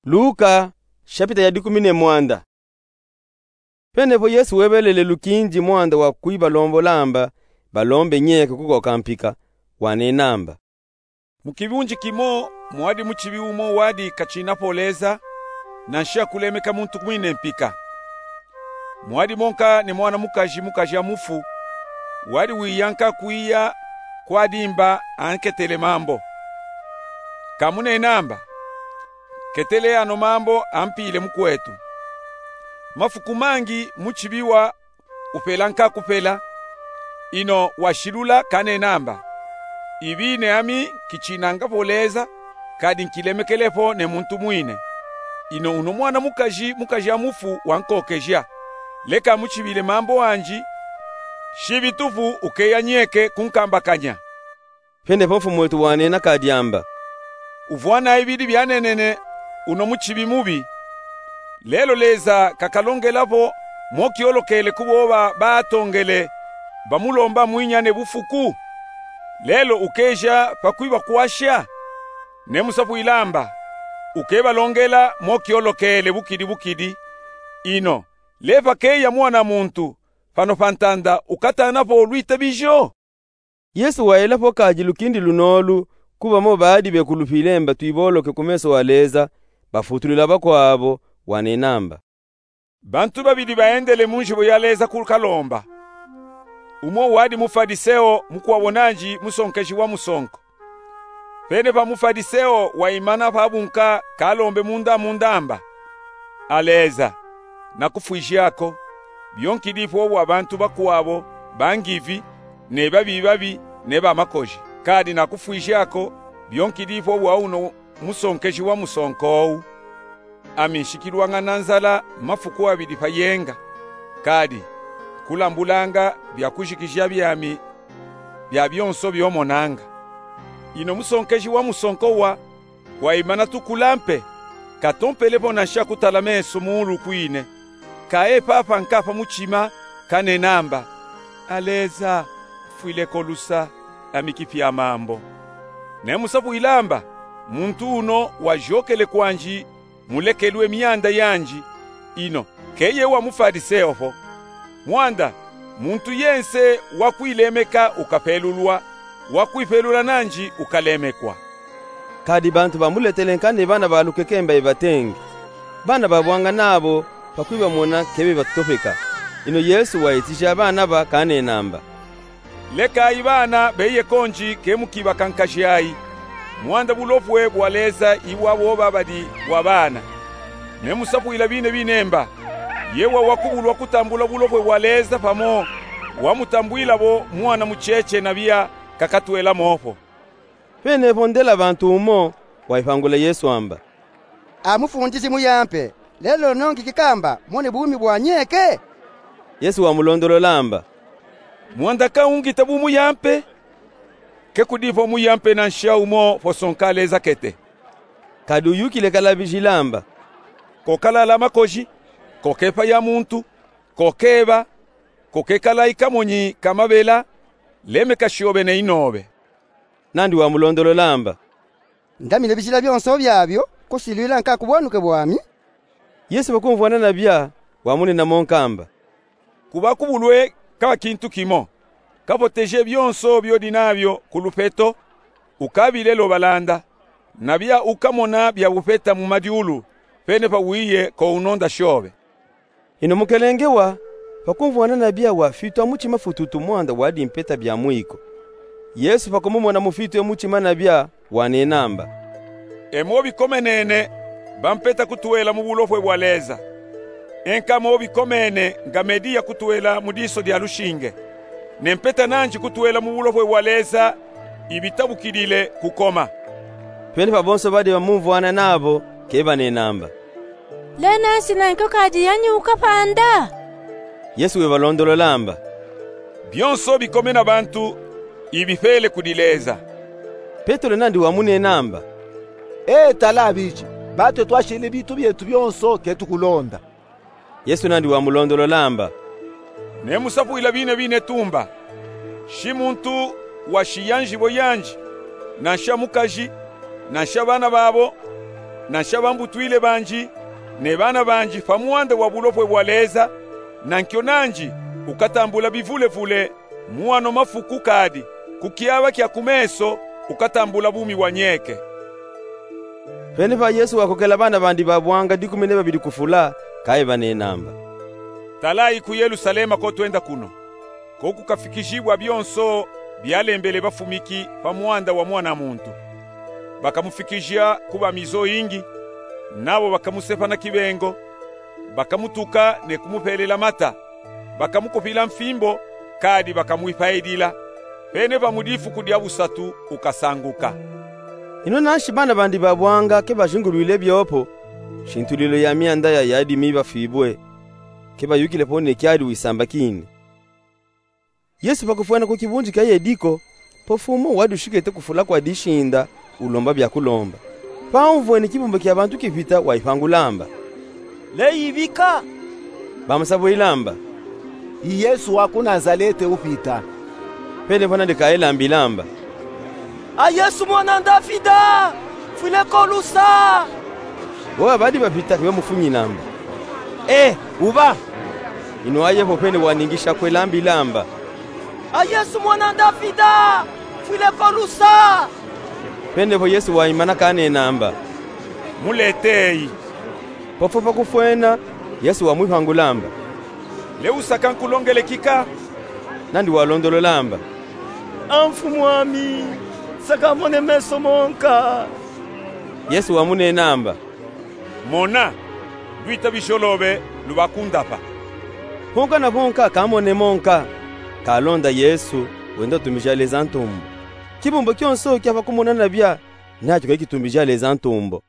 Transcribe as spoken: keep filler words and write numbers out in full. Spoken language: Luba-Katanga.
Luka, shapita ya dikumi ne mwanda. Penepo Yesu webelele lukindi mwanda wa kwibalombola amba balombe nyeke kukoka mpika, wanena amba: Mu kibunji kimo mwadi mucibi umo wadi kacinapo Leza, nansha kulemeka muntu mwine mpika. Mwadi monka ne mwana mukaji, mukaji amufu, wadi wiyanka kwiya kwa dimba anketele mambo. Kamunena amba: Ketele ano mambo ampile mukwetu. Mafuku mangi mucibi wa upelanka kupela, ino washilula kanena amba: Ibi ne ami nkicinangapo Leza, kadi nkilemekelepo ne muntu mwine. Ino uno mwana mukaji, mukaji amufu wankokeja. Leka amucibile mambo anji, shibitupu ukeya nyeke kunkambakanya. Penepo Mfumu wetu wanena kadi amba: Uvwana ibidi byanenene uno mucibi mubi. Lelo Leza kakalongelapo mwokyolokele ku boba batongele bamulomba mwinya ne bufuku? Lelo ukeja pa kwibakwasha? Nemusapwile amba: Ukebalongela mwokyolokele bukidi bukidi. Ino lepa keya mwana muntu pano pa ntanda ukatanapo lwitabijo? Yesu wayelapo kadi lukindi lunolu ku bamo badi bekulupile amba twiboloke ku meso a Leza, bafutulwile bakwabo, wanena amba: Bantu babidi baendele mu njibo ya Leza kukalomba. Umo wadi Mufadiseo, mukwabo nandi musonkeji wa musonko. Penepa Mufadiseo waimana pa bunka kalombe munda munda amba: A Leza, nakufwiji ako, byo nkidi po bwa bantu bakwabo bangivi, ne babibabi, ne bamakoji. Kadi nakufwiji ako, byo nkidi po bwa uno musonkeji wa musonko owu. Ami nshikilwanga na nzala mafuku abidi pa yenga, kadi nkulambulanga byakujikija byami bya byonso byo monanga. Ino musonkeji wa musonko wa waimana tukula mpe, katompelepo nansha kutala meso muulu kwine. Kaye papa nkapa mucima kanena amba: A Leza, mfwileko lusa, ami kipya mambo. Nemusapwile amba: Muntu uno wajokele kwandi mu lekelwe myanda yandi, ino keye wa Mufadiseo po. Mwanda, muntu yense wakwilemeka ukapelulwa, wakwipelula nandi ukalemekwa. Kadi bantu bamuletele nkandi bana ba lukekemba ibatenge. Bana babwanga nabo pa kwibamona kebe batopeka. Ino Yesu waitija bana ba kanena amba: Lekayi bana beye kondi, ke mukibakankajayi. Mwanda bulopwe bwa Leza ibwa boba badi bwa bana. Nemusapwile bine bine mba: Yewa wakubulwa kutambula bulopwe bwa Leza pamo wamutambwilabo mwana mucece, na biya kakatwelamopo. Penepo ndela bantu umo waipangula Yesu amba: A Mufundisi muyampe, lelo nongi kikamba mone bumi bwa nyeke? Yesu wamulondolola amba: Mwanda ka ungita bumuyampe? Ke kudipo muyampe nansha umo posonka Leza kete. Kadi uyukile kalabijila amba: Kokalala makoji, kokepaya muntu, kokeba, kokekalayi kamonyi ka mabela, lemeka shobe ne inobe. Nandi wamulondolola amba: Ndami ne bijila byonso byabyo, kusilwila nka ku bwanuke bwami? Yesu pakumvwana nabya, wamunena monka amba: Kubakubulwe kaba kintu kimo. Kapoteje byonso byodi nabyo ku lupeto, ukabile lobalanda, nabya ukamona bya bupeta mu madyulu, penepa wiye ko unonda shobe. Ino mukelenge wa, pakumvwana nabya, wafitwa mucima fututu mwanda wadi mpeta bya mwiko. Yesu pakumumona mufitwe mucima nabya, wanena amba: E mo bikomenene bampeta kutwela mu bulopwe bwa Leza. Enka mo bikomene nga mediya kutwela mu diso dya lushinge, ne mpeta nandi kutwela mu bulopwe bwa Leza ibitabukilile kukoma. Penepa bonso badi bamumvwana nabo kebanena amba: Lena nsi na nkoka adi yanyuka pa nda? Yesu webalondolola amba: Byonso bikome na bantu, ibipele kudi Leza. Petelo nandi wamunena amba: E tala abidi, batwe twashile bitu byetu byonso, ketukulonda. Yesu nandi wamulondolola amba: Nemusapwila bine bine tumba: Shi muntu washiya njibo yandi, nansha mukaji, nansha bana babo, nansha bambutwile banji, ne bana banji pa mwanda wa bulopwe bwa Leza, na nkyo nanji ukatambula bivulevule, mu ano mafuku kadi, ku kyaba kya ku meso ukatambula bumi bwa nyeke. Pene pa Yesu wakokela bana bandi ba bwanga dikumi ne babili ku fula, kaye banenamba: Talayi ku Yelusalema ko twenda kuno, ko kukafikijibwa byonso byalembele bafumiki pa mwanda wa Mwana muntu. Bakamufikija ku bamizo yingi, nabo bakamusepa na kibengo, bakamutuka ne kumupelela mata, bakamukupila mfimbo, kadi bakamwipayidila. Pene pa mu difuku dya busatu ukasanguka. Ino nanshi bana bandi ba bwanga ke bajingulwile byopo, shintulilo ya myanda ya yadimi bafibwe, ke bayukile po ne kyadi wisambakini. Yesu pa kufwena ku kibundi kya Yediko, po fumo wadi ushikete ku fula kwa dishinda, ulomba bya kulomba. Pa umvwene kibumba kya bantu kipita, wayipangulamba: Leyibika! Bamusabwilamba: I Yesu wa ku Nazalete upita. Pene po nandi kayelambilamba: A Yesu mwana Ndafida, fwile ko lusa! Bo babadi bapita ke bamufunyinamba: E, uba! Ino aye po pene waningisha kwelambilamba: A Yesu mwana Ndafida, fwile ko lusa! Pene po Yesu wayimana kanenamba: Muleteyi. Po fwo pa kufwena, Yesu wamwipangulamba: Lewusaka nkulongele kika? Nandi walondololamba: A Mfumuami, saka mone meso monka. Yesu wamunenamba: Mona, lwita bijolobe, luba kundapa. Honka na honka kamone monka, kalonda Yesu, wenda utumbija Leza ntumbo. Kibumba kyonso kyapa kumona nabya, nakyo kayikitumbi ja Leza ntumbo.